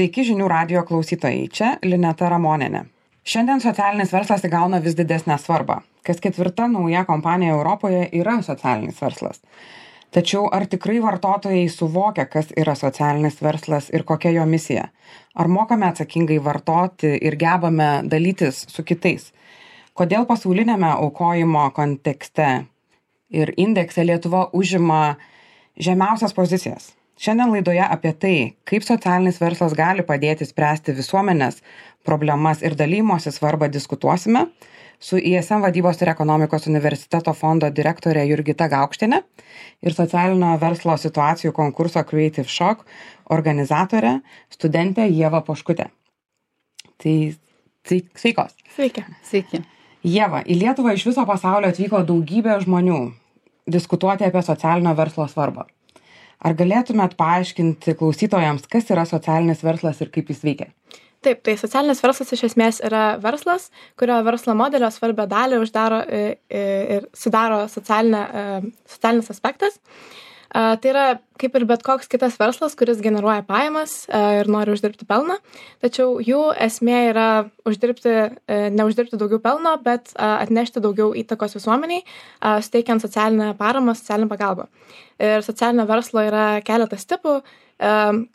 Sveiki žinių radijo klausytojai, čia Lineta Ramonienė. Šiandien socialinis verslas įgauna vis didesnę svarbą. Kas ketvirta nauja kompanija Europoje yra socialinis verslas. Tačiau ar tikrai vartotojai suvokia, kas yra socialinis verslas ir kokia jo misija? Ar mokame atsakingai vartoti ir gebame dalytis su kitais? Kodėl pasaulinėme aukojimo kontekste ir indekse Lietuva užima žemiausias pozicijas? Šiandien laidoje apie tai, kaip socialinis verslas gali padėti spręsti visuomenės problemas ir dalymosi svarbą diskutuosime su ISM vadybos ir ekonomikos universiteto fondo direktorė Jurgita Gaukštienė ir socialinio verslo situacijų konkurso Creative Shock organizatorė studentė Ieva Poškutė. Tai sveikos. Sveiki. Ieva, į Lietuvą iš viso pasaulio atvyko daugybė žmonių diskutuoti apie socialinio verslo svarbą. Ar galėtumėt paaiškinti klausytojams, kas yra socialinis verslas ir kaip jis veikia? Taip, tai socialinis verslas iš esmės yra verslas, kurio verslo modelio svarbią dalį uždaro ir sudaro socialinis aspektas. Tai yra kaip ir bet koks kitas verslas, kuris generuoja pajamas ir nori uždirbti pelną, tačiau jų esmė yra neuždirbti daugiau pelno, bet atnešti daugiau įtakos visuomeniai, suteikiant socialinę paramą, socialinę pagalbą. Ir socialinio verslo yra keletas tipų.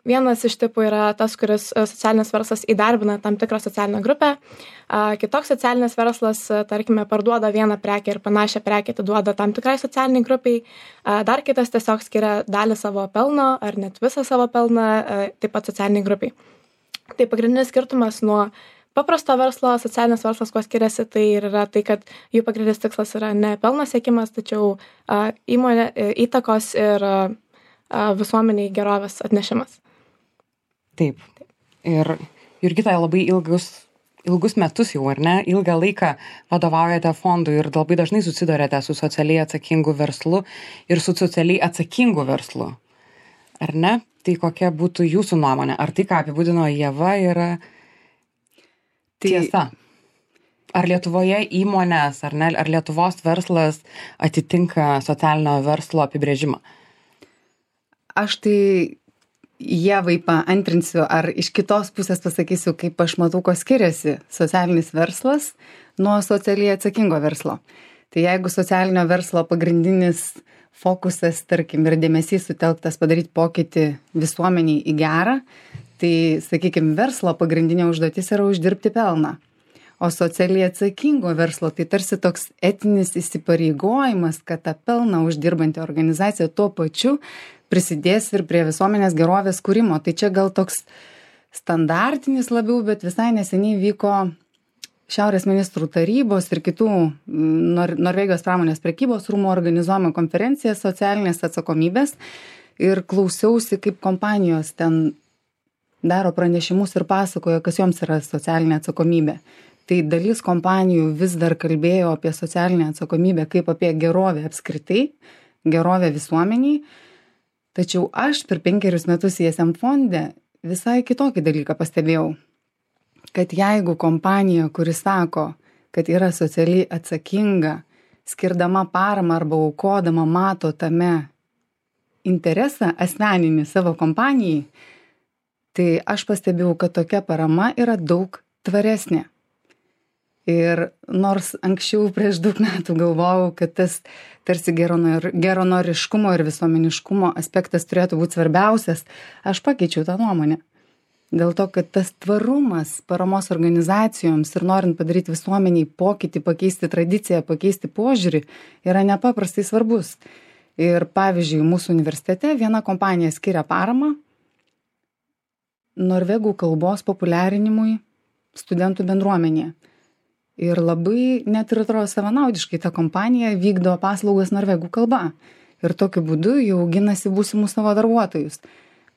Vienas iš tipų yra tas, kuris socialinis verslas įdarbina tam tikrą socialinę grupę. Kitoks socialinis verslas, tarkime, parduoda vieną prekę ir panašią prekę atiduoda tam tikrai socialiniai grupiai. Dar kitas tiesiog skiria dalį savo pelno ar net visą savo pelną taip pat socialiniai grupiai. Tai pagrindinis skirtumas nuo paprasto verslo, socialinis verslas, kuo skiriasi, tai yra tai, kad jų pagrindinis tikslas yra ne pelno siekimas, tačiau įmonė įtakos ir visuomeniai gerovės atnešimas. Taip. Ir Jurgita labai ilgus metus jau, ar ne, ilgą laiką vadovaujate fondui ir labai dažnai susidurėte su socialiai atsakingu verslu ir su socialiai atsakingu verslu. Ar ne? Tai kokia būtų jūsų nuomonė? Ar tai, ką apibūdino Ieva, yra tiesa? Ar Lietuvoje įmonės, ar ne, ar Lietuvos verslas atitinka socialinio verslo apibrėžimą? Aš tai Ievai paantrinsiu, ar iš kitos pusės pasakysiu, kaip aš matau, ko skiriasi socialinis verslas nuo socialiai atsakingo verslo. Tai jeigu socialinio verslo pagrindinis fokusas, tarkim, ir dėmesys sutelktas padaryti pokytį visuomeniai į gerą, tai, sakykime, verslo pagrindinė užduotis yra uždirbti pelną. O socialiai atsakingo verslo tai tarsi toks etinis įsipareigojimas, kad tą pelną uždirbanti organizacija tuo pačiu prisidės ir prie visuomenės gerovės kūrimo. Tai čia gal toks standartinis labiau, bet visai neseniai vyko Šiaurės ministrų tarybos ir kitų Norvegijos pramonės prekybos rūmų organizuojama konferencija socialinės atsakomybės ir klausiausi, kaip kompanijos ten daro pranešimus ir pasakojo, kas joms yra socialinė atsakomybė. Tai dalis kompanijų vis dar kalbėjo apie socialinę atsakomybę kaip apie gerovę apskritai, gerovę visuomeniai. Tačiau aš per 5 metus ISM fonde visai kitokį dalyką pastebėjau, kad jeigu kompanija, kuri sako, kad yra socialiai atsakinga, skirdama paramą arba aukodama mato tame interesą asmeninį savo kompanijai, tai aš pastebėjau, kad tokia parama yra daug tvaresnė. Ir nors anksčiau prieš 2 metų galvojau, kad tas tarsi geranoriškumo ir visuomeniškumo aspektas turėtų būti svarbiausias, aš pakeičiau tą nuomonę. Dėl to, kad tas tvarumas paramos organizacijoms ir norint padaryti visuomeniai pokytį, pakeisti tradiciją, pakeisti požiūrį, yra nepaprastai svarbus. Ir pavyzdžiui, mūsų universitete viena kompanija skiria paramą norvegų kalbos populiarinimui studentų bendruomenėje. Ir labai net ir atrodo savanaudiškai ta kompanija vykdo paslaugas norvegų kalba. Ir tokiu būdu jau auginasi būsimus savo darbuotojus.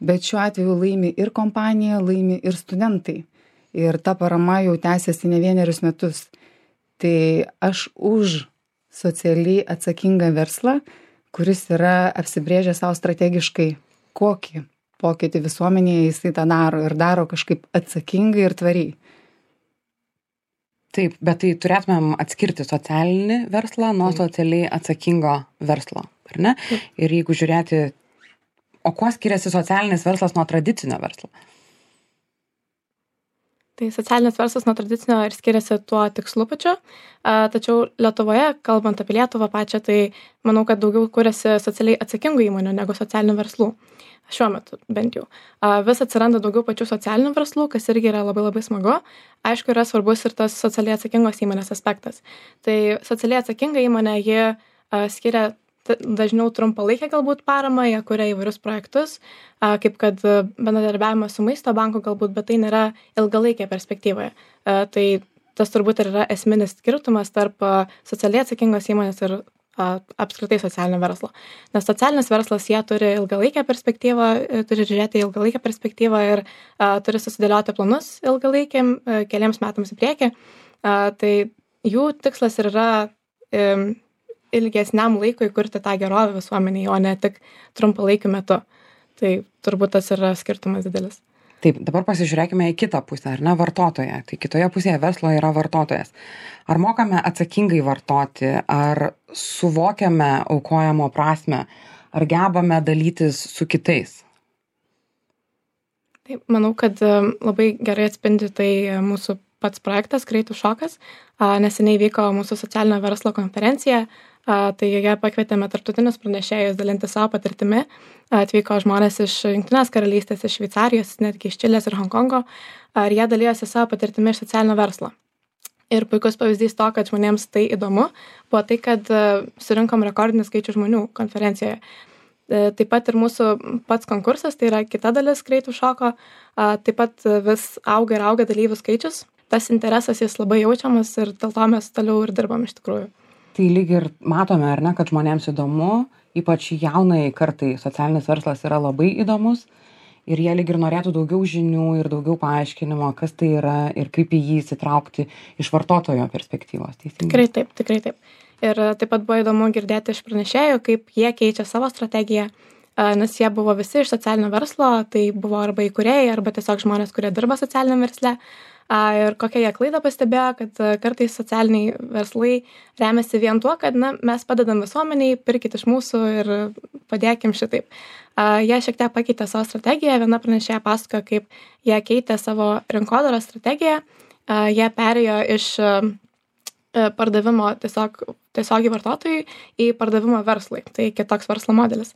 Bet šiuo atveju laimi ir kompanija, laimi ir studentai. Ir ta parama jau tęsiasi ne 1 metus. Tai aš už socialiai atsakingą verslą, kuris yra apsibrėžęs savo strategiškai, kokį pokytį visuomenėje jisai tą daro ir daro kažkaip atsakingai ir tvariai. Taip, bet tai turėtumėm atskirti socialinį verslą nuo socialiai atsakingo verslo, ar ne? Ir jeigu žiūrėti, o kuo skiriasi socialinis verslas nuo tradicinio verslo? Tai socialinis verslas nuo tradicinio ir skiriasi tuo tikslu pačiu, tačiau Lietuvoje, kalbant apie Lietuvą pačią, tai manau, kad daugiau kuriasi socialiai atsakingų įmonių negu socialinių verslų. Šiuo metu bent jau. Vis atsiranda daugiau pačių socialinių verslų, kas irgi yra labai labai smagu. Aišku, yra svarbus ir tas socialiai atsakingos įmonės aspektas. Tai socialiai atsakinga įmonė, ji skiria dažniau trumpalaikę galbūt paramą, jie kuria įvairius projektus, kaip kad bendradarbiavimas su maisto banku galbūt, bet tai nėra ilgalaikė perspektyvoje. Tai tas turbūt ir yra esminis skirtumas tarp socialiai atsakingos įmonės ir apskritai socialinio verslo. Nes socialinis verslas, jie turi ilgalaikę perspektyvą, turi žiūrėti ilgalaikę perspektyvą ir turi susidėlioti planus ilgalaikiam, keliems metams į priekį. Tai jų tikslas ir yra ilgesniam laikui kurti tą gerovę visuomeniai, o ne tik trumpalaikiu metu. Tai turbūt tas yra skirtumas didelis. Taip, dabar pasižiūrėkime į kitą pusę, ar ne, vartotoją. Tai kitoje pusėje verslo yra vartotojas. Ar mokame atsakingai vartoti, ar suvokiame aukojimo prasme, ar gebame dalytis su kitais? Taip, manau, kad labai gerai atspindi tai mūsų pats projektas Greitų šokas. Neseniai vyko mūsų socialinio verslo konferencija, tai joje pakvietėme tarptautinius pranešėjus dalinti savo patirtimi. Atvyko žmonės iš Jungtinės karalystės, iš Šveicarijos, netgi iš Čilės ir Honkongo, ir jie dalyjosi savo patirtimi iš socialinio verslo. Ir puikus pavyzdys to, kad žmonėms tai įdomu, buvo tai, kad surinkom rekordinį skaičių žmonių konferencijoje. Taip pat ir mūsų pats konkursas, tai yra kita dalis Greitų šoko, taip pat vis auga ir auga dalyvių skaičius. Tas interesas jis labai jaučiamas ir dėl to mes toliau ir dirbam iš tikrųjų. Tai lyg ir matome, ar ne, kad žmonėms įdomu, ypač jaunai kartai socialinis verslas yra labai įdomus ir jie lyg ir norėtų daugiau žinių ir daugiau paaiškinimo, kas tai yra ir kaip į jį įsitraukti iš vartotojo perspektyvos. Teisingai? Tikrai taip. Ir taip pat buvo įdomu girdėti iš pranešėjų, kaip jie keičia savo strategiją, nes jie buvo visi iš socialinio verslo, tai buvo arba įkūrėjai, arba tiesiog žmonės, kurie dirba socialiniam versle. Ir kokią jie klaidą pastebėjo, kad kartais socialiniai verslai remiasi vien tuo, kad mes padedam visuomeniai, pirkit iš mūsų ir padėkim šitaip. Jie šiek tiek pakeitė savo strategiją, viena pranešėja pasakojo, kaip jie keitė savo rinkodaros strategiją, jie perėjo iš pardavimo tiesiogiai vartotojui į pardavimo verslui. Tai kitoks verslo modelis.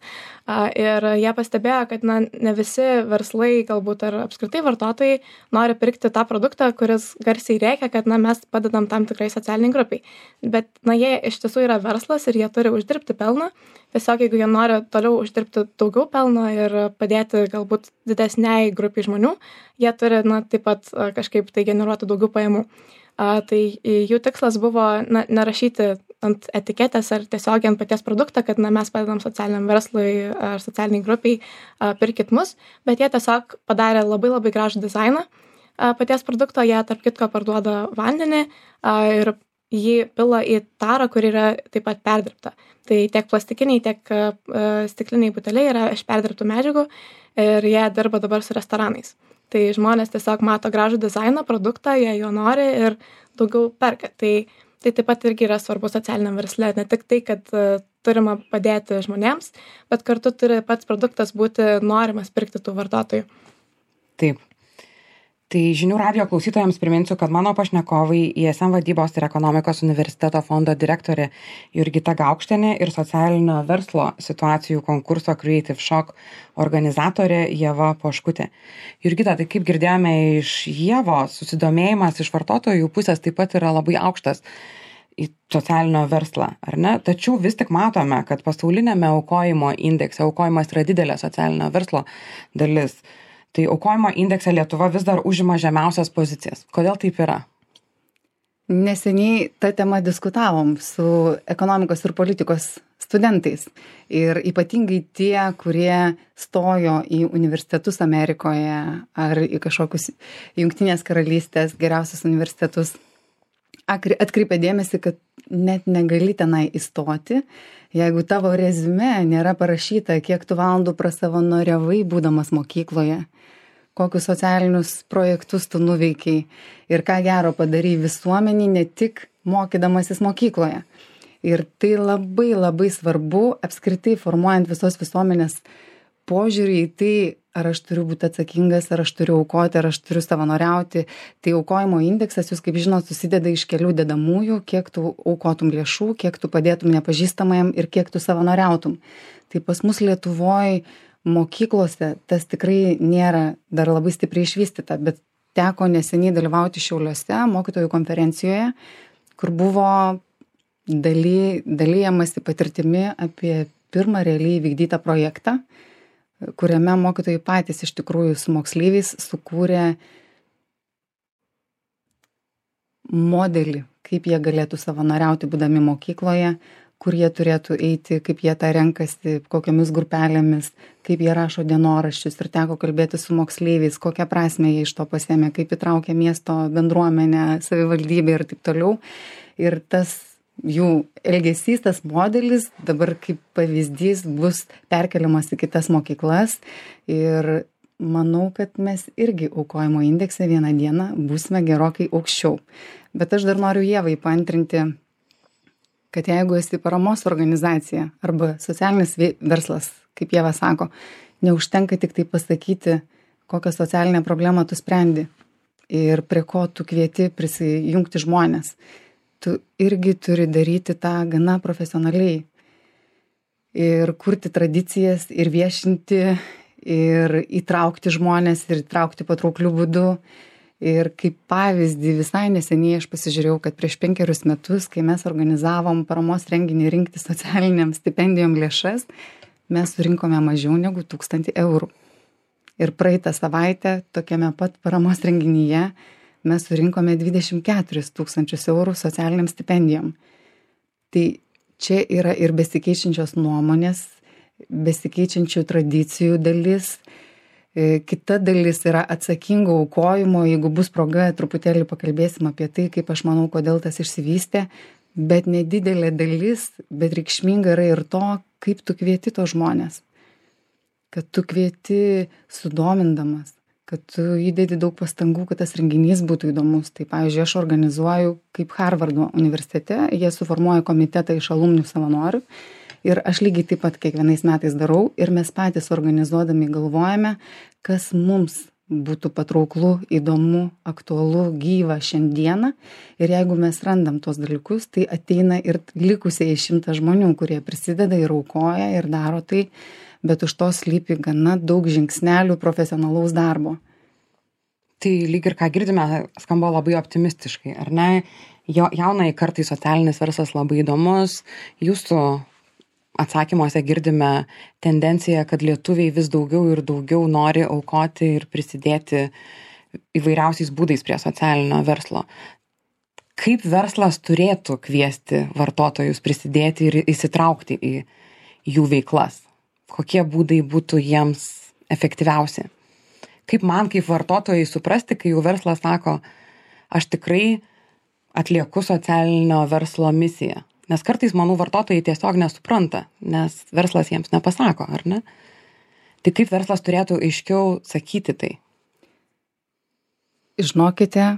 Ir jie pastebėjo, kad ne visi verslai, galbūt ar apskritai vartotojai, nori pirkti tą produktą, kuris garsiai rėkia, kad mes padedam tam tikrai socialiniai grupiai. Bet jie iš tiesų yra verslas ir jie turi uždirbti pelną. Tiesiog jeigu jie nori toliau uždirbti daugiau pelno ir padėti galbūt didesniai grupiai žmonių, jie turi taip pat kažkaip tai generuoti daugiau pajamų. Tai jų tikslas buvo nerašyti ant etiketės ar tiesiog ant paties produktą, kad mes padedam socialiniam verslui ar socialiniai grupiai, pirkit mus, bet jie tiesiog padarė labai labai gražų dizainą paties produkto, jie tarp kitko parduoda vandenį ir jį pila į tarą, kur yra taip pat perdirbta. Tai tiek plastikiniai, tiek stikliniai buteliai yra iš perdirbtų medžiagų ir jie dirba dabar su restoranais. Tai žmonės tiesiog mato gražų dizainą, produktą, jie jo nori ir daugiau perka. Tai taip pat irgi yra svarbu socialiniam versle. Ne tik tai, kad turime padėti žmonėms, bet kartu turi pats produktas būti norimas pirkti tų vartotojų. Taip. Tai žinių radijo klausytojams priminsiu, kad mano pašnekovai ISM vadybos ir ekonomikos universiteto fondo direktorė Jurgita Gaukštienė ir socialinio verslo situacijų konkurso Creative Shock organizatorė Ieva Poškutė. Jurgita, tai kaip girdėjome iš Ievos, susidomėjimas iš vartotojų pusės taip pat yra labai aukštas į socialinio verslą, ar ne? Tačiau vis tik matome, kad pasaulinėme aukojimo indekse aukojimas yra didelė socialinio verslo dalis. Tai aukojimo indekse Lietuva vis dar užima žemiausias pozicijas. Kodėl taip yra? Neseniai tą temą diskutavom su ekonomikos ir politikos studentais. Ir ypatingai tie, kurie stojo į universitetus Amerikoje ar į kažkokius Jungtinės karalystės geriausius universitetus, atkreipė dėmesį, kad net negali tenai įstoti, jeigu tavo reziume nėra parašyta, kiek tu valandų prasavanoriavai būdamas mokykloje, kokius socialinius projektus tu nuveikiai ir ką gero padarai visuomeniai, ne tik mokydamasis mokykloje. Ir tai labai labai svarbu apskritai formuojant visos visuomenės požiūrį į tai, ar aš turiu būti atsakingas, ar aš turiu aukoti, ar aš turiu savanoriauti. Tai aukojimo indeksas, jūs kaip žinot, susideda iš kelių dedamųjų, kiek tu aukotum lėšų, kiek tu padėtum nepažįstamajam ir kiek tu savanoriautum. Tai pas mus Lietuvoje mokyklose tas tikrai nėra dar labai stipriai išvystyta, bet teko neseniai dalyvauti Šiauliuose mokytojų konferencijoje, kur buvo dalijamasi patirtimi apie pirmą realiai vykdytą projektą, kuriame mokytojai patys iš tikrųjų su moksleiviais sukūrė modelį, kaip jie galėtų savanoriauti būdami mokykloje, kur jie turėtų eiti, kaip jie tą renkasi, kokiamis grupelėmis, kaip jie rašo dienoraščius ir teko kalbėti su moksleiviais, kokią prasmę jie iš to pasiėmė, kaip įtraukia miesto bendruomenę, savivaldybę ir taip toliau. Ir tas jų elgesys, tas modelis dabar kaip pavyzdys bus perkeliamas į kitas mokyklas ir manau, kad mes irgi aukojimo indekse vieną dieną būsime gerokai aukščiau. Bet aš dar noriu Ievai paantrinti, kad jeigu esi paramos organizacija arba socialinis verslas, kaip Ieva sako, neužtenka tik tai pasakyti, kokią socialinę problemą tu sprendi ir prie ko tu kvieti prisijungti žmonės. Tu irgi turi daryti tą gana profesionaliai ir kurti tradicijas ir viešinti ir įtraukti žmonės ir įtraukti patrauklių būdų. Ir kaip pavyzdį visai neseniai aš pasižiūrėjau, kad prieš 5 metus, kai mes organizavom paramos renginį rinkti socialiniam stipendijom lėšas, mes surinkome mažiau negu 1000 eurų. Ir praeitą savaitę tokiame pat paramos renginyje mes surinkome 24 000 eurų socialiniam stipendijom. Tai čia yra ir besikeičiančios nuomonės, besikeičiančių tradicijų dalis. Kita dalis yra atsakingo aukojimo, jeigu bus proga, truputėlį pakalbėsim apie tai, kaip aš manau, kodėl tas išsivystė, bet nedidelė dalis, bet reikšminga yra ir to, kaip tu kvieti to žmonės. Kad tu kvieti sudomindamas, kad tu įdedi daug pastangų, kad tas renginys būtų įdomus. Tai, pavyzdžiui, aš organizuoju kaip Harvardo universitete, jie suformuoja komitetą iš alumnių savanorių ir aš lygiai taip pat kiekvienais metais darau ir mes patys organizuodami galvojame, kas mums būtų patrauklu, įdomu, aktualu, gyva šiandieną. Ir jeigu mes randam tos dalykus, tai ateina ir likusiai 100 žmonių, kurie prisideda ir aukoja ir daro tai, bet už to slypi gana daug žingsnelių profesionalaus darbo. Tai lyg ir ką girdime, skamba labai optimistiškai, ar ne? Jaunai kartai socialinis verslas labai įdomus. Jūsų atsakymuose girdime tendenciją, kad lietuviai vis daugiau ir daugiau nori aukoti ir prisidėti įvairiausiais būdais prie socialinio verslo. Kaip verslas turėtų kviesti vartotojus prisidėti ir įsitraukti į jų veiklas? Kokie būdai būtų jiems efektyviausi? Kaip man, kaip vartotojai, suprasti, kai jų verslas sako, aš tikrai atlieku socialinio verslo misiją? Nes kartais, manau, vartotojai tiesiog nesupranta, nes verslas jiems nepasako, ar ne? Tai kaip verslas turėtų aiškiau sakyti tai? Žinokite,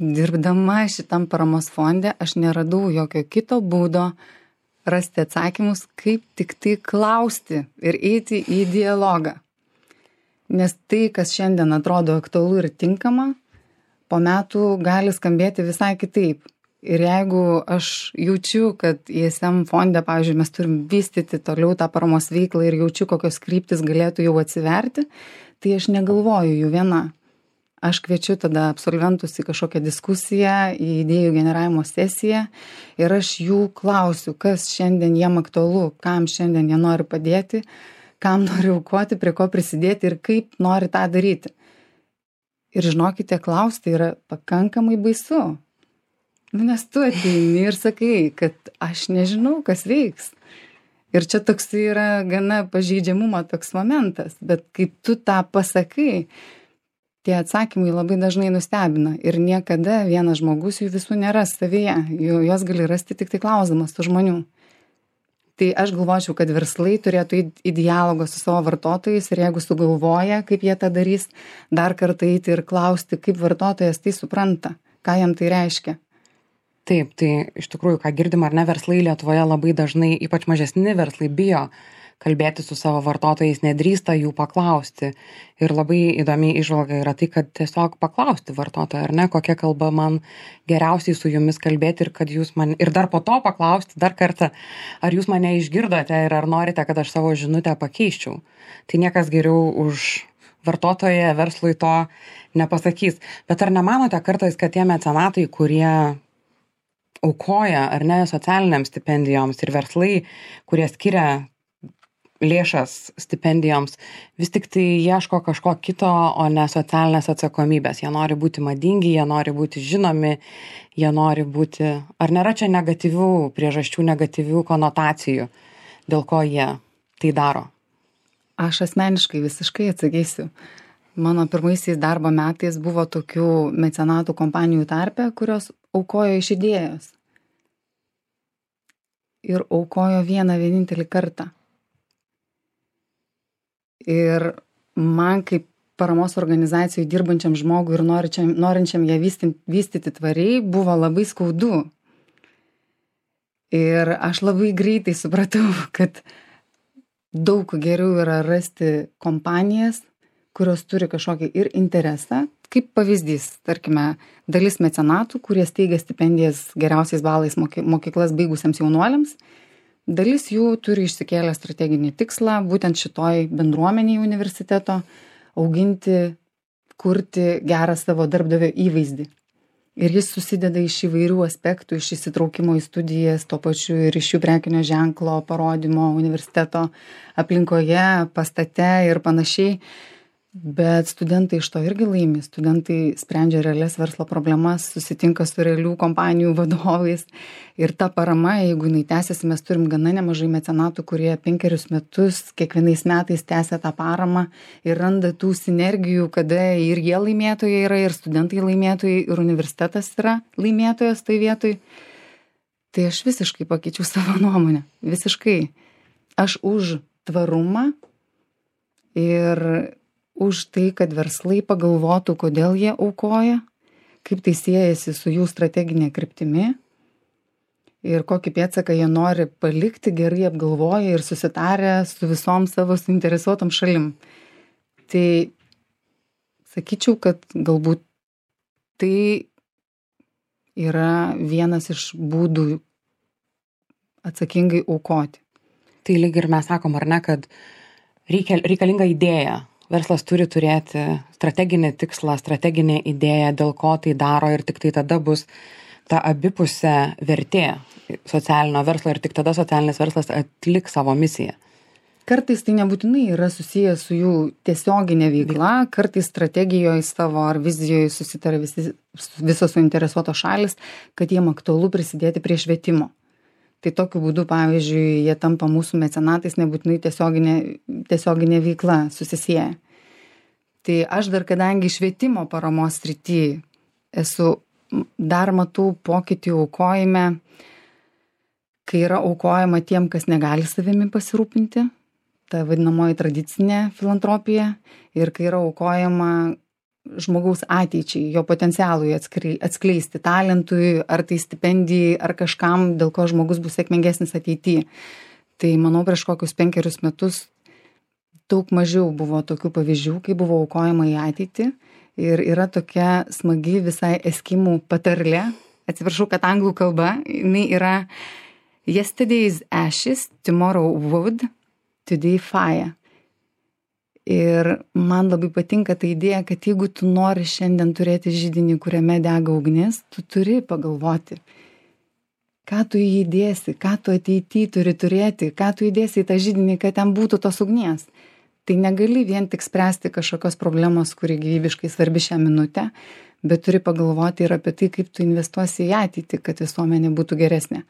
dirbdama šitam paramos fonde, aš neradau jokio kito būdo rasti atsakymus, kaip tik tai klausti ir eiti į dialogą. Nes tai, kas šiandien atrodo aktualu ir tinkama, po metų gali skambėti visai kitaip. Ir jeigu aš jaučiu, kad ISM fonde, pavyzdžiui, mes turim vystyti toliau tą paramos veiklą ir jaučiu, kokios kryptis galėtų jau atsiverti, tai aš negalvoju jų viena. Aš kviečiu tada absolventus į kažkokią diskusiją, į idėjų generavimo sesiją ir aš jų klausiu, kas šiandien jiem aktualu, kam šiandien jie nori padėti, kam nori aukoti, prie ko prisidėti ir kaip nori tą daryti. Ir žinokite, klausti yra pakankamai baisu. Nes tu ateini ir sakai, kad aš nežinau, kas veiks. Ir čia toks yra gana pažeidžiamumo toks momentas, bet kai tu tą pasakai, tie atsakymai labai dažnai nustebina ir niekada vienas žmogus jų visų neras savyje, jos gali rasti tik tai klausdamas tų žmonių. Tai aš galvočiau, kad verslai turėtų į dialogą su savo vartotojais ir jeigu sugalvoja, kaip jie tą darys, dar kartą eiti ir klausti, kaip vartotojas tai supranta, ką jam tai reiškia. Taip, tai iš tikrųjų, ką girdim ar ne, verslai Lietuvoje labai dažnai, ypač mažesni verslai, bijo kalbėti su savo vartotojais, nedrįsta jų paklausti. Ir labai įdomi įžvalga yra tai, kad tiesiog paklausti vartotoją, ar ne, kokia kalba man geriausiai su jumis kalbėti ir kad jūs man, ir dar po to paklausti dar kartą, ar jūs mane išgirdote ir ar norite, kad aš savo žinutę pakeiščiau. Tai niekas geriau už vartotoją verslui to nepasakys. Bet ar nemanote kartais, kad tie mecenatai, kurie aukoja ar ne socialiniams stipendijoms ir verslai, kurie skiria lėšas stipendijoms, vis tik tai ieško kažko kito, o ne socialinės atsakomybės. Jie nori būti madingi, jie nori būti žinomi, jie nori būti... Ar nėra čia negatyvių priežasčių, negatyvių konotacijų, dėl ko jie tai daro? Aš asmeniškai visiškai atsakysiu. Mano pirmaisiais darbo metais buvo tokių mecenatų kompanijų tarpe, kurios aukojo iš idėjos. Ir aukojo vieną vienintelį kartą. Ir man kaip paramos organizacijai dirbančiam žmogui ir norinčiam ją vystyti tvariai buvo labai skaudu. Ir aš labai greitai supratau, kad daug geriau yra rasti kompanijas, kurios turi kažkokį ir interesą, kaip pavyzdys, tarkime, dalis mecenatų, kurie steigia stipendijas geriausiais balais mokyklas baigusiems jaunuoliams, dalis jų turi išsikėlę strateginį tikslą, būtent šitoj bendruomeniai universiteto, auginti, kurti gerą savo darbdavio įvaizdį. Ir jis susideda iš įvairių aspektų, iš įsitraukimo į studijas, tuo pačiu ir iš jų prekinio ženklo, parodymo universiteto aplinkoje, pastate ir panašiai. Bet studentai iš to irgi laimi. Studentai sprendžia realias verslo problemas, susitinka su realių kompanijų vadovais. Ir ta parama, jeigu jinai tęsiasi, mes turim gana nemažai mecenatų, kurie 5 metus kiekvienais metais tęsia tą paramą ir randa tų sinergijų, kada ir jie laimėtojai yra, ir studentai laimėtojai, ir universitetas yra laimėtojas tai vietoj. Tai aš visiškai pakeičiau savo nuomonę. Visiškai. Aš už tvarumą ir už tai, kad verslai pagalvotų, kodėl jie aukoja, kaip tai siejasi su jų strateginė kryptimi ir kokį pėdsaką jie nori palikti, gerai apgalvoję ir susitarę su visom savo suinteresuotom šalim. Tai sakyčiau, kad galbūt tai yra vienas iš būdų atsakingai aukoti. Tai lyg ir mes sakom, ar ne, kad reikalinga idėja. Verslas turi turėti strateginį tikslą, strateginę idėją, dėl ko tai daro ir tik tai tada bus ta abipusė vertė socialinio verslo ir tik tada socialinis verslas atliks savo misiją. Kartais tai nebūtinai yra susijęs su jų tiesioginė veikla, kartais strategijoje savo ar vizijoje susitarė visos suinteresuotos šalis, kad jiem aktualu prisidėti prie švietimo. Tai tokiu būdu, pavyzdžiui, jie tampa mūsų mecenatais, nebūtinai tiesioginė veikla susisieja. Tai aš dar, kadangi švietimo paramos srity dar matau pokytį aukojime, kai yra aukojama tiem, kas negali savimi pasirūpinti, ta vadinamoji tradicinė filantropija, ir kai yra aukojama žmogaus ateičiai, jo potencialui atskleisti, talentui, ar tai stipendijai, ar kažkam, dėl ko žmogus bus sėkmingesnis ateityje. Tai manau, prieš kokius 5 metus daug mažiau buvo tokių pavyzdžių, kai buvo aukojama į ateitį. Ir yra tokia smagi visai eskimų patarlė, atsiprašau, kad anglų kalba, jinai yra Yesterday's ashes, tomorrow wood, today fire. Ir man labai patinka ta idėja, kad jeigu tu nori šiandien turėti židinį, kuriame dega ugnis, tu turi pagalvoti, ką tu įdėsi, ką tu ateityje turi turėti, ką tu įdėsi į tą židinį, kad ten būtų tos ugnies. Tai negali vien tik spręsti kažkokios problemos, kuri gyvybiškai svarbi šią minutę, bet turi pagalvoti ir apie tai, kaip tu investuosi į ateitį, kad visuomenė būtų geresnė.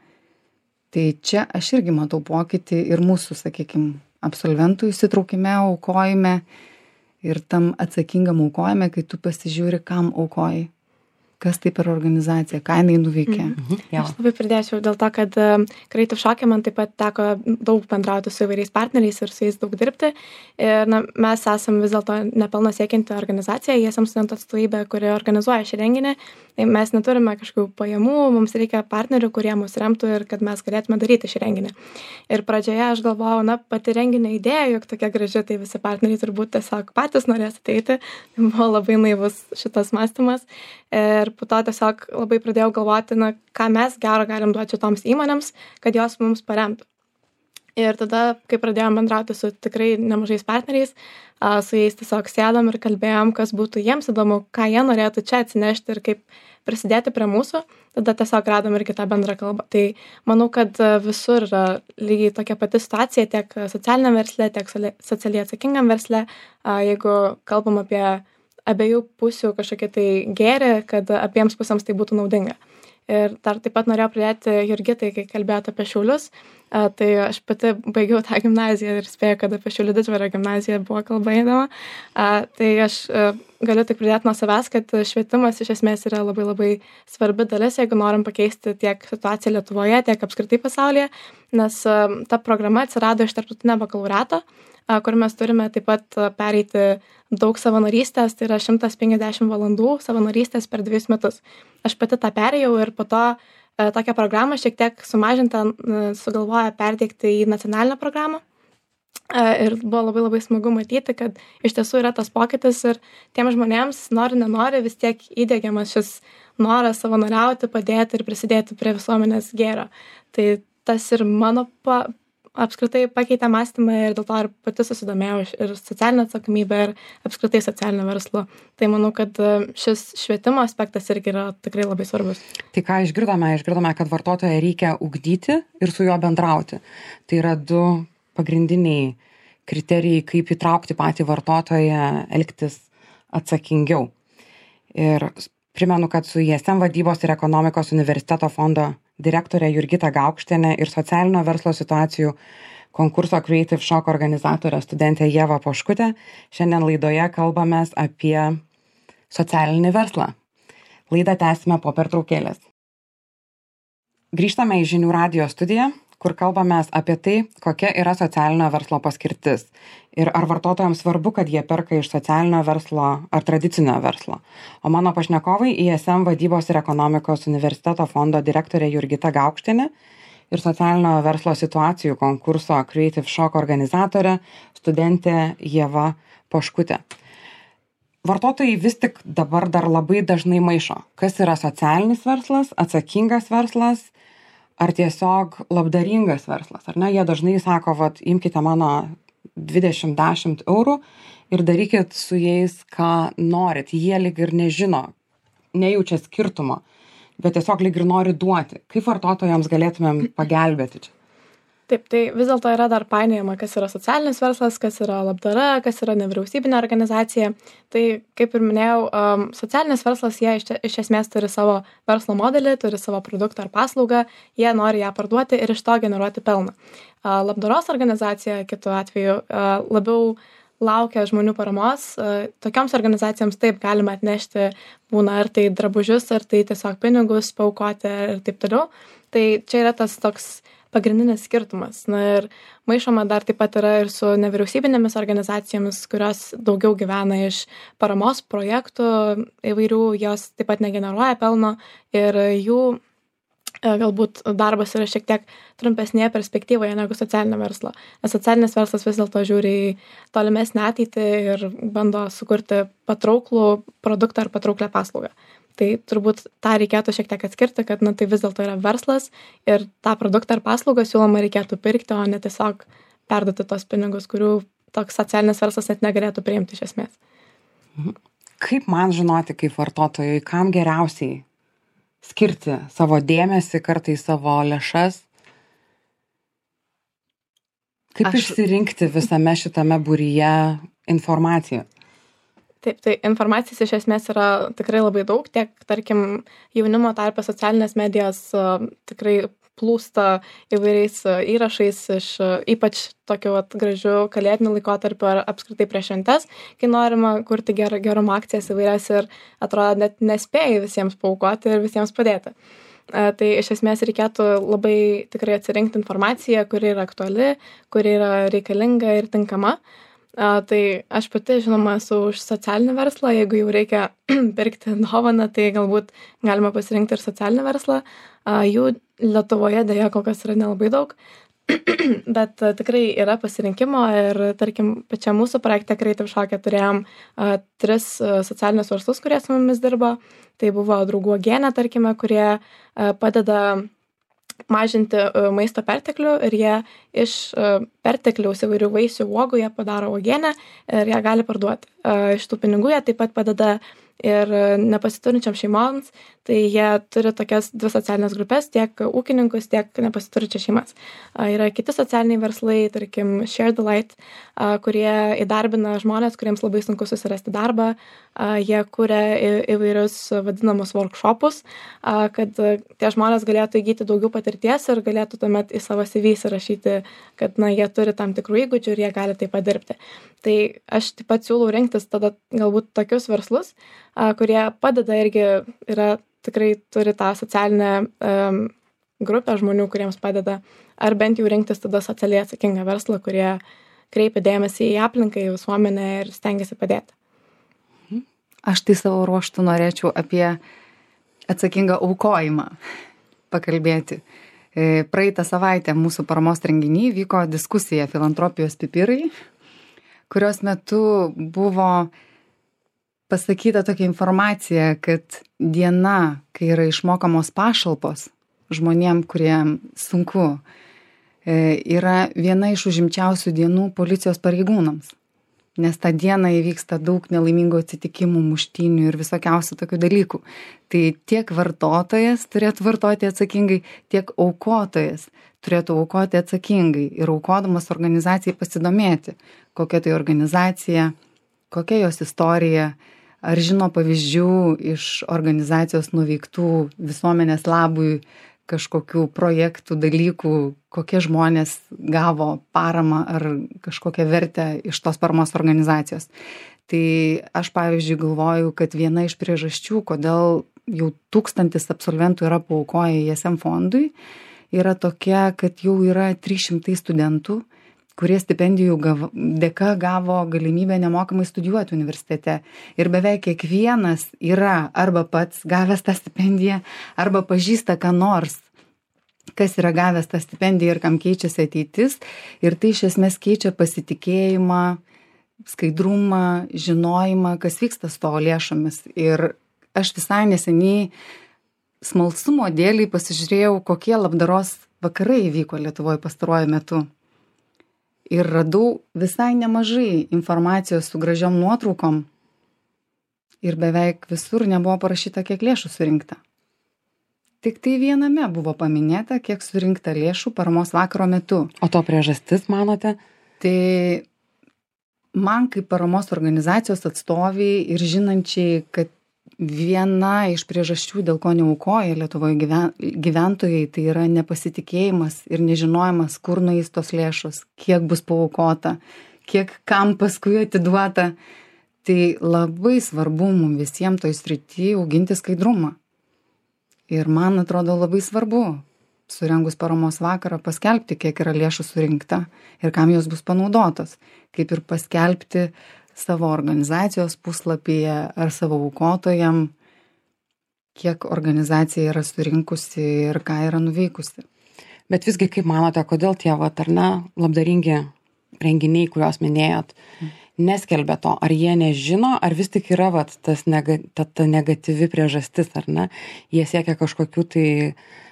Tai čia aš irgi matau pokytį ir mūsų, sakykime, absolventų įsitraukime, aukojime ir tam atsakingam aukojime, kai tu pasižiūri, kam aukoji. Kas tai per organizacija, ką jinai nuveikė? Aš labai pridėčiau dėl to, kad Creative Shock'e man taip pat teko daug bendrauti su įvairiais partneriais ir su jais daug dirbti. Ir mes esam vis dėlto nepelno siekianti organizacija, esam studentų atstovybė, kuri organizuoja šį renginį. Tai mes neturime kažkokių pajamų, mums reikia partnerių, kurie mus remtų ir kad mes galėtume daryti šį renginį. Ir pradžioje aš galvojau, pati renginio idėja, juk tokia graži, tai visi partneriai turbūt tiesiog patys norės ateiti. Tai buvo labai naivus šitas mąstymas. Ir po to tiesiog labai pradėjau galvoti, ką mes gero galim duoti šitoms įmonėms, kad jos mums paremtų. Ir tada, kai pradėjom bendrauti su tikrai nemažais partneriais, su jais tiesiog sėdom ir kalbėjom, kas būtų jiems įdomu, ką jie norėtų čia atsinešti ir kaip prisidėti prie mūsų, tada tiesiog radom ir kitą bendrą kalbą. Tai manau, kad visur yra lygiai tokia pati situacija, tiek socialiniam versle, tiek socialiai atsakingam versle, jeigu kalbam apie abiejų pusių kažkokie tai gėrį, kad abiems pusėms tai būtų naudinga. Ir dar taip pat norėjau pridėti Jurgitai, kai kalbėjote apie Šiaulius, tai aš pati baigiau tą gimnaziją ir spėjau, kad apie Šiaulių Didžvario gimnaziją buvo kalba eidama. Tai aš galiu tik pridėti nuo savęs, kad švietimas iš esmės yra labai labai svarbi dalis, jeigu norim pakeisti tiek situaciją Lietuvoje, tiek apskritai pasaulyje, nes ta programa atsirado iš tarptautinio bakalaureato, kur mes turime taip pat pereiti daug savanorystės, tai yra 150 valandų savanorystės per 2 metus. Aš pati tą perėjau ir po to tokią programą šiek tiek sumažintą sugalvoja perteikti į nacionalinę programą. Ir buvo labai labai smagu matyti, kad iš tiesų yra tas pokytis ir tiem žmonėms, nenori, vis tiek įdiegiamas šis noras savanoriauti, padėti ir prisidėti prie visuomenės gėrio. Tai tas ir mano apskritai pakeitė mąstymą ir dėl to ir pati susidomėjau ir socialinę atsakomybę ir apskritai socialinio verslo. Tai manau, kad šis švietimo aspektas irgi yra tikrai labai svarbus. Tai ką išgirdome, kad vartotoją reikia ugdyti ir su juo bendrauti. Tai yra 2 pagrindiniai kriterijai, kaip įtraukti patį vartotoją elgtis atsakingiau. Ir primenu, kad su ISM vadybos ir ekonomikos universiteto fondo direktorė Jurgita Gaukštienė ir socialinio verslo situacijų konkurso Creative Shock organizatorė studentė Ieva Poškutė šiandien laidoje kalbamės apie socialinį verslą. Laidą tęsime po pertraukėlės. Grįžtame į Žinių radijo studiją, kur kalbamės apie tai, kokia yra socialinio verslo paskirtis ir ar vartotojams svarbu, kad jie perka iš socialinio verslo ar tradicinio verslo. O mano pašnekovai ISM vadybos ir ekonomikos universiteto fondo direktorė Jurgita Gaukštienė ir socialinio verslo situacijų konkurso Creative Shock organizatorė studentė Ieva Poškutė. Vartotojai vis tik dabar dar labai dažnai maišo, kas yra socialinis verslas, atsakingas verslas, ar tiesiog labdaringas verslas, ar ne? Jie dažnai sako, imkite mano 20 eurų ir darykit su jais, ką norit. Jie lyg ir nežino, nejaučia skirtumo, bet tiesiog lyg ir nori duoti. Kaip vartotojams galėtumėm pagelbėti čia? Taip, tai vis dėlto yra dar painiojama, kas yra socialinis verslas, kas yra labdara, kas yra nevyriausybinė organizacija. Tai, kaip ir minėjau, socialinis verslas, jie iš esmės turi savo verslo modelį, turi savo produktą ar paslaugą, jie nori ją parduoti ir iš to generuoti pelną. Labdaros organizacija, kitu atveju, labiau laukia žmonių paramos. Tokioms organizacijoms taip galima atnešti, būna ar tai drabužius, ar tai tiesiog pinigus paaukoti ir taip toliau. Tai čia yra tas toks pagrindinis skirtumas. Ir maišoma dar taip pat yra ir su nevyriausybinėmis organizacijomis, kurios daugiau gyvena iš paramos projektų įvairių, jos taip pat negeneruoja pelno ir jų galbūt darbas yra šiek tiek trumpesnėje perspektyvoje negu socialinio verslo. Nes socialinis verslas vis dėlto žiūri į tolimesnę ateitį ir bando sukurti patrauklų produktą ar patrauklę paslaugą. Tai turbūt tą reikėtų šiek tiek atskirti, kad tai vis dėlto yra verslas ir tą produktą ar paslaugą siūloma reikėtų pirkti, o ne tiesiog perduoti tos pinigus, kurių toks socialinis verslas net negalėtų priimti iš esmės. Kaip man žinoti, kaip vartotojui, kam geriausiai skirti savo dėmesį, kartais savo lėšas? Kaip išsirinkti visame šitame būryje informaciją? Taip, tai informacijos iš esmės yra tikrai labai daug, tiek, tarkim, jaunimo tarpe socialinės medijos tikrai plūsta įvairiais įrašais iš ypač tokiu vat gražiu kalėdiniu laikotarpiu ar apskritai prieš šventes, kai norima kurti gerumo akcijas įvairias ir atrodo net nespėji visiems paaukoti ir visiems padėti. Tai iš esmės reikėtų labai tikrai atsirinkti informaciją, kuri yra aktuali, kuri yra reikalinga ir tinkama. Tai aš pati, žinoma, esu už socialinį verslą, jeigu jau reikia pirkti dovaną, tai galbūt galima pasirinkti ir socialinį verslą. Jų Lietuvoje dėja kol kas yra nelabai daug, bet tikrai yra pasirinkimo ir, tarkim, pačiam mūsų projekte Creative Shock'e turėjom 3 socialinius verslus, kurie su mumis dirbo. Tai buvo draugų uogienė, tarkime, kurie padeda mažinti maisto perteklių ir jie iš pertekliaus įvairių vaisių uogų jie padaro uogienę ir ją gali parduoti. Iš tų pinigų jie taip pat padeda ir nepasiturinčiam šeimoms, tai jie turi tokias 2 socialinės grupės, tiek ūkininkus, tiek nepasiturinčias šeimas. Yra kiti socialiniai verslai, tarkim Share the Light, kurie įdarbina žmonės, kuriems labai sunku susirasti darbą. Jie kuria įvairius vadinamus workshopus, kad tie žmonės galėtų įgyti daugiau patirties ir galėtų tuomet į savo CV įsirašyti, kad jie turi tam tikrų įgūdžių ir jie gali taip pat dirbti. Tai aš taip pat siūlau rinktis tada galbūt tokius verslus, kurie padeda irgi tikrai turi tą socialinę grupę žmonių, kuriems padeda, ar bent jau rinktis tada socialiai atsakingą verslą, kurie kreipia dėmesį į aplinką, į visuomenę ir stengiasi padėti. Aš tai savo ruoštų norėčiau apie atsakingą aukojimą pakalbėti. Praeitą savaitę mūsų paramos renginy vyko diskusija Filantropijos pipirai, kurios metu buvo pasakyta tokia informacija, kad diena, kai yra išmokamos pašalpos žmonėm, kuriem sunku, yra viena iš užimčiausių dienų policijos pareigūnams. Nes tą dieną įvyksta daug nelaimingų atsitikimų, muštynių ir visokiausių tokių dalykų. Tai tiek vartotojas turėtų vartoti atsakingai, tiek aukotojas turėtų aukoti atsakingai ir aukodamas organizacijai pasidomėti, kokia tai organizacija, kokia jos istorija, ar žino pavyzdžių iš organizacijos nuveiktų visuomenės labui kažkokių projektų, dalykų, kokie žmonės gavo paramą ar kažkokią vertę iš tos paramos organizacijos. Tai aš, pavyzdžiui, galvoju, kad viena iš priežasčių, kodėl jau 1000 absolventų yra paaukoję ISM fondui, yra tokia, kad jau yra 300 studentų, kurie stipendijų dėka gavo galimybę nemokamai studijuoti universitete. Ir beveik kiekvienas yra arba pats gavęs tą stipendiją, arba pažįsta ką nors, kas yra gavęs tą stipendiją ir kam keičiasi ateitis. Ir tai iš esmės keičia pasitikėjimą, skaidrumą, žinojimą, kas vyksta su tavo lėšomis. Ir aš visai neseniai smalsumo dėlei pasižiūrėjau, kokie labdaros vakarai vyko Lietuvoje pastaruoju metu. Ir radau visai nemažai informacijos su gražiom nuotraukom ir beveik visur nebuvo parašyta, kiek lėšų surinkta. Tik tai viename buvo paminėta, kiek surinkta lėšų paramos vakaro metu. O to priežastis, manote? Tai man kaip paramos organizacijos atstoviai ir žinančiai, kad viena iš priežasčių, dėl ko neaukoja Lietuvoje gyventojai, tai yra nepasitikėjimas ir nežinojimas, kur nueis tos lėšos, kiek bus paaukota, kiek kam paskui atiduota. Tai labai svarbu mums visiems toj srity auginti skaidrumą. Ir man atrodo labai svarbu, surengus paramos vakarą, paskelbti, kiek yra lėšų surinkta ir kam jos bus panaudotos. Kaip ir paskelbti savo organizacijos puslapyje ar savo aukotojam, kiek organizacija yra surinkusi ir ką yra nuveikusi. Bet visgi, kaip manote, kodėl tie labdaringi renginiai, kuriuos minėjot, neskelbia to? Ar jie nežino, ar vis tik yra ta negatyvi priežastis, ar ne? Jie siekia kažkokių tai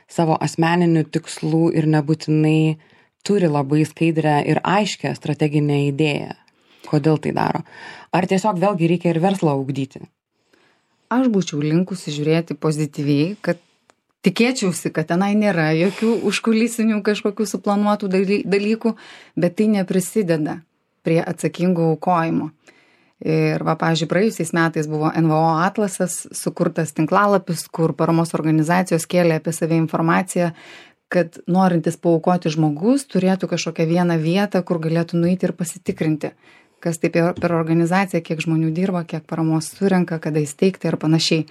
savo asmeninių tikslų ir nebūtinai turi labai skaidrę ir aiškę strateginę idėją. Kodėl tai daro? Ar tiesiog vėlgi reikia ir verslą ugdyti? Aš būčiau linkusi žiūrėti pozityviai, kad tikėčiausi, kad tenai nėra jokių užkulisinių kažkokių suplanuotų dalykų, bet tai neprisideda prie atsakingų aukojimo. Ir pavyzdžiui, praėjusiais metais buvo NVO atlasas, sukurtas tinklalapis, kur paramos organizacijos kėlė apie save informaciją, kad norintis paaukoti žmogus turėtų kažkokią vieną vietą, kur galėtų nueiti ir pasitikrinti, kas tai per organizaciją, kiek žmonių dirba, kiek paramos surenka, kada įsteigti ir panašiai.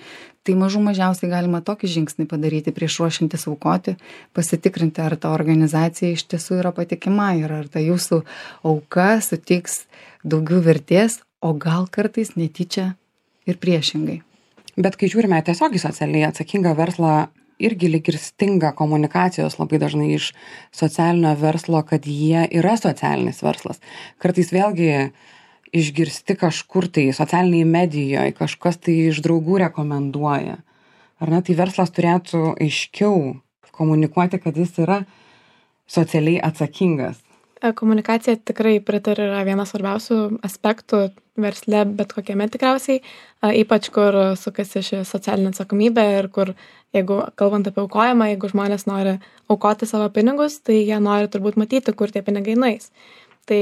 Tai mažiausiai galima tokį žingsnį padaryti prieš ruošintis aukoti, pasitikrinti, ar ta organizacija iš tiesų yra patikima ir ar ta jūsų auka suteiks daugiau vertės, o gal kartais netyčia ir priešingai. Bet kai žiūrime tiesiog į socialiai atsakingą verslą, irgi lyg ir stinga komunikacijos labai dažnai iš socialinio verslo, kad jie yra socialinis verslas. Kartais vėlgi išgirsti kažkur tai socialiniai medijoje, kažkas tai iš draugų rekomenduoja. Ar ne, tai verslas turėtų aiškiau komunikuoti, kad jis yra socialiai atsakingas. Komunikacija tikrai pritariu yra vienas svarbiausių aspektų versle, bet kokiame tikriausiai, ypač kur sukasi ši socialinė atsakomybė ir kur, jeigu kalbant apie aukojimą, jeigu žmonės nori aukoti savo pinigus, tai jie nori turbūt matyti, kur tie pinigai nueis. Tai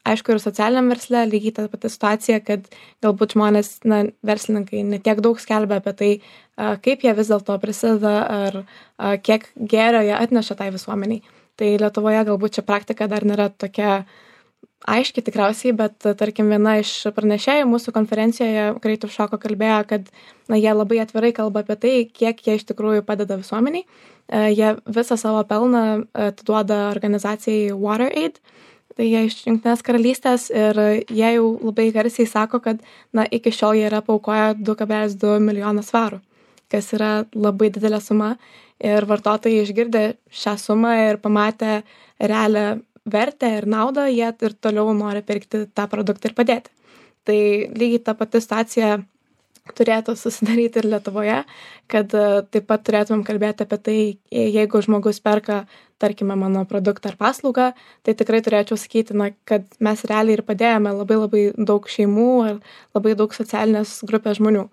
aišku, ir socialiniam versle lygiai ta pati situacija, kad galbūt žmonės, verslininkai netiek daug skelbia apie tai, kaip jie vis dėlto prisideda ar kiek gėrio jie atneša tai visuomeniai. Tai Lietuvoje galbūt čia praktika dar nėra tokia aiški tikriausiai, bet tarkim viena iš pranešėjų mūsų konferencijoje Creative Shoko kalbėjo, kad jie labai atvirai kalba apie tai, kiek jie iš tikrųjų padeda visuomeniai. Jie visą savo pelną atiduoda organizacijai WaterAid, tai jie iš Jungtinės karalystės ir jie jau labai garsiai sako, kad iki šiol jie yra paaukoję 2,2 milijoną svarų, kas yra labai didelė suma. Ir vartotojai išgirdę šią sumą ir pamatę realią vertę ir naudą, jie ir toliau nori pirkti tą produktą ir padėti. Tai lygiai ta pati situacija turėtų susidaryti ir Lietuvoje, kad taip pat turėtumėm kalbėti apie tai, jeigu žmogus perka, tarkime, mano produktą ar paslaugą, tai tikrai turėčiau sakyti, kad mes realiai ir padėjome labai daug šeimų ir labai daug socialinės grupės žmonių.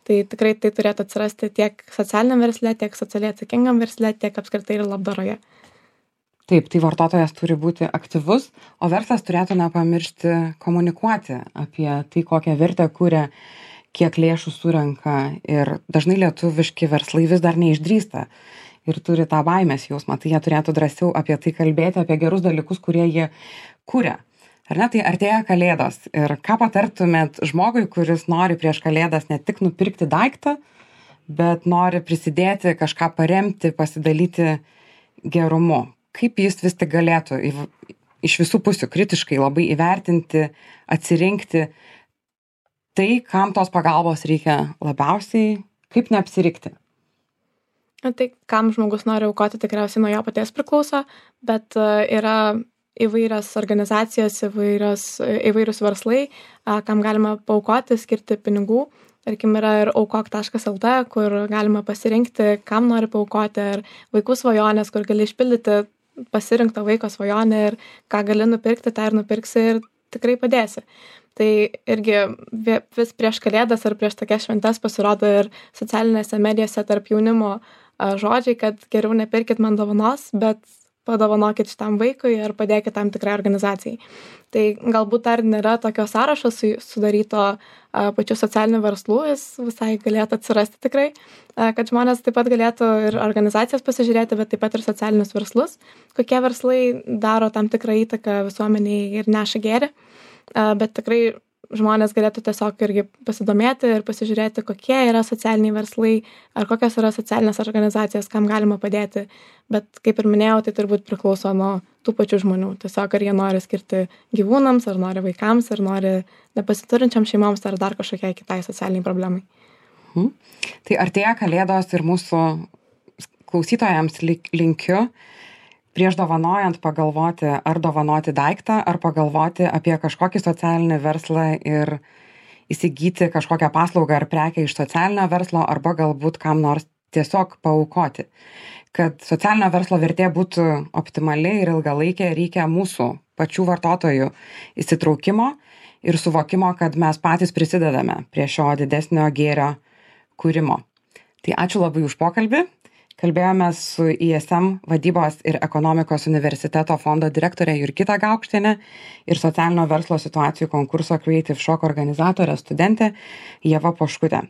Tai tikrai tai turėtų atsirasti tiek socialiniam versle, tiek socialiai atsakingam versle, tiek apskritai ir labdaroje. Taip, tai vartotojas turi būti aktyvus, o verslas turėtų nepamiršti komunikuoti apie tai, kokią vertę kuria, kiek lėšų surenka. Ir dažnai lietuviški verslai vis dar neišdrįsta ir turi tą baimės jausmą. Tai jie turėtų drąsiau apie tai kalbėti, apie gerus dalykus, kurie jie kuria. Ar ne, tai artėja Kalėdos ir ką patartumėt žmogui, kuris nori prieš Kalėdas ne tik nupirkti daiktą, bet nori prisidėti, kažką paremti, pasidalyti gerumu. Kaip jis vis tik galėtų iš visų pusių kritiškai labai įvertinti, atsirinkti tai, kam tos pagalbos reikia labiausiai, kaip neapsirikti? Tai kam žmogus nori aukoti, tikriausiai nuo jo paties priklauso, bet yra įvairios organizacijos, įvairius verslai, kam galima paaukoti, skirti pinigų. Tarkim, yra ir aukok.lt, kur galima pasirinkti, kam nori paaukoti, ar vaikų svajonės, kur gali išpildyti pasirinktą vaiko svajonę ir ką gali nupirkti, tą ir nupirksi ir tikrai padėsi. Tai irgi vis prieš Kalėdas ar prieš tokias šventes pasirodo ir socialinėse medijose tarp jaunimo žodžiai, kad geriau nepirkit man dovanos, bet padovanokit šitam vaikui ir padėkit tam tikrai organizacijai. Tai galbūt dar nėra tokio sąrašo sudaryto pačių socialinių verslų, jis visai galėtų atsirasti tikrai, kad žmonės taip pat galėtų ir organizacijas pasižiūrėti, bet taip pat ir socialinius verslus, kokie verslai daro tam tikrą įtaką visuomeniai ir neša gėrį, bet tikrai žmonės galėtų tiesiog irgi pasidomėti ir pasižiūrėti, kokie yra socialiniai verslai ar kokios yra socialinės organizacijos, kam galima padėti. Bet kaip ir minėjau, tai turbūt priklauso nuo tų pačių žmonių. Tiesiog ar jie nori skirti gyvūnams, ar nori vaikams, ar nori nepasiturinčiam šeimoms, ar dar kažkokiai kitai socialiniai problemai. Tai artėja Kalėdos ir mūsų klausytojams linkiu prieš dovanojant pagalvoti, ar dovanoti daiktą, ar pagalvoti apie kažkokį socialinį verslą ir įsigyti kažkokią paslaugą ar prekę iš socialinio verslo, arba galbūt kam nors tiesiog paaukoti. Kad socialinio verslo vertė būtų optimali ir ilgalaikė, reikia mūsų pačių vartotojų įsitraukimo ir suvokimo, kad mes patys prisidedame prie šio didesnio gėrio kūrimo. Tai ačiū labai už pokalbį. Kalbėjome su ISM vadybos ir ekonomikos universiteto fondo direktorė Jurgita Gaukštienė ir socialinio verslo situacijų konkurso Creative Shoko organizatorė studentė Ieva Poškutė.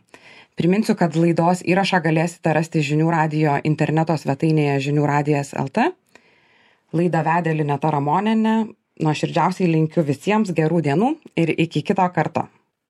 Priminsiu, kad laidos įrašą galėsite rasti Žinių radijo interneto svetainėje žinių radijas LT. Laidą vedė Lineta Ramonienė. Nuoširdžiausiai linkiu visiems gerų dienų ir iki kito karto.